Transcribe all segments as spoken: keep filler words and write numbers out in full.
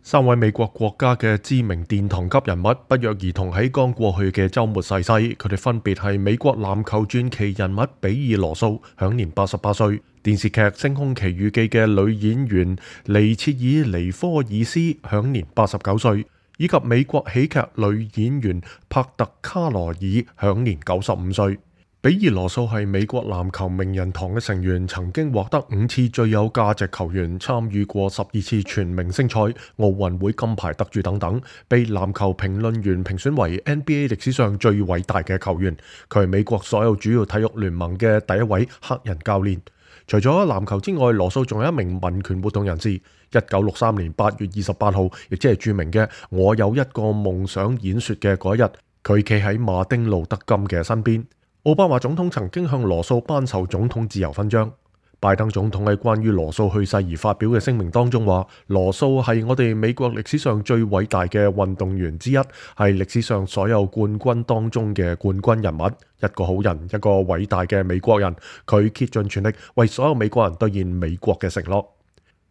三位美國國家嘅知名殿堂級人物不約而同喺剛過去嘅週末逝世，佢哋分別係美國籃球傳奇人物比爾羅素，享年八十八歲；電視劇《星空奇遇記》嘅女演員尼切爾尼科爾斯，享年八十九歲；以及美國喜劇女演員帕特卡羅爾，享年九十五歲。比爾羅素係美國籃球名人堂嘅成員，曾經獲得五次最有價值球員，參與過十二次全明星賽、奧運會金牌得主等等，被籃球評論員評選為 N B A 歷史上最偉大嘅球員。佢係美國所有主要體育聯盟嘅第一位黑人教練。除咗籃球之外，羅素仲有一名民權活動人士。一九六三年八月二十八號，亦即係著名嘅我有一個夢想演說嘅嗰一日，佢企喺馬丁路德金嘅身邊。奧巴馬總統曾經向羅素頒授總統自由勳章。拜登總統喺關於羅素去世而發表嘅聲明當中話，羅素係我哋美國歷史上最偉大嘅運動員之一，係歷史上所有冠軍當中嘅冠軍人物，一個好人，一個偉大嘅美國人。佢竭盡全力為所有美國人兌現美國嘅承諾。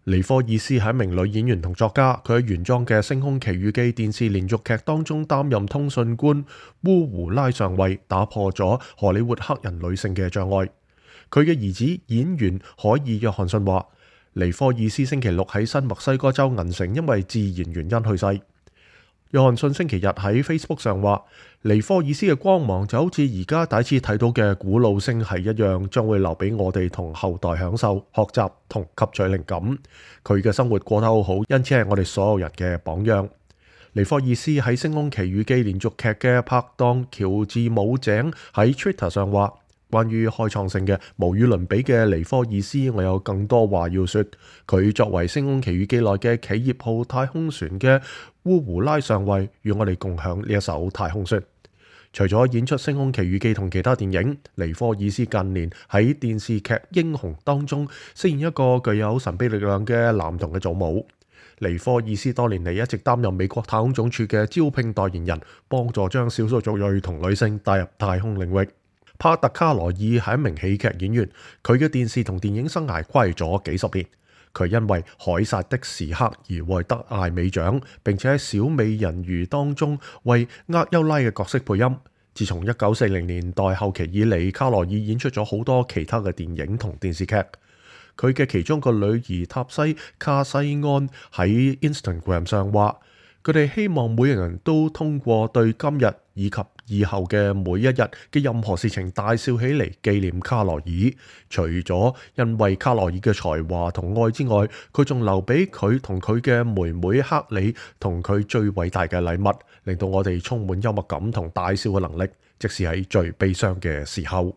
尼科爾斯係一名女演員同作家，佢喺原裝嘅《星空奇遇記》電視連續劇當中擔任通訊官烏胡拉上尉，打破咗荷里活黑人女性嘅障礙。佢嘅兒子演員海爾約翰遜話，尼科爾斯星期六喺新墨西哥州銀城因為自然原因去世。約翰遜星期日喺 Facebook 上話，尼科爾斯嘅光芒就好似而家第一次睇到嘅古老星系一樣，將會留俾我哋同後代享受、學習同吸取靈感。佢嘅生活過得好好，因此係我哋所有人嘅榜樣。尼科爾斯喺《星空奇遇記》連續劇嘅拍檔喬治姆井喺 Twitter 上話，關於開創性嘅無與倫比嘅尼科爾斯，我有更多話要說。佢作為《星空奇遇記》內嘅企業號太空船嘅烏胡拉上尉，與我哋共享呢一艘太空船。除咗演出《星空奇遇記》同其他電影，尼科爾斯近年喺電視劇《英雄》當中飾演一個具有神秘力量嘅男童嘅祖母。尼科爾斯多年嚟一直擔任美國太空總署嘅招聘代言人，幫助將少數族裔同女性帶入太空領域。帕特卡羅爾係一名喜劇演員，佢嘅電視同電影生涯跨越咗幾十年。佢因為《凱撒的時刻》而獲得艾美獎，並且喺《小美人魚》當中為厄優拉嘅角色配音。自從一九四零年代後期以嚟，卡羅爾演出咗好多其他嘅電影同電視劇。佢嘅其中個女兒塔西卡西安喺 Instagram 上話，佢哋希望每個人都通過對今日以及以後嘅每一日嘅任何事情大笑起嚟，紀念卡羅爾。除咗因為卡羅爾嘅才華同愛之外，佢仲留俾佢同佢嘅妹妹克里同佢最偉大嘅禮物，令到我哋充滿幽默感同大笑嘅能力，即使喺最悲傷嘅時候。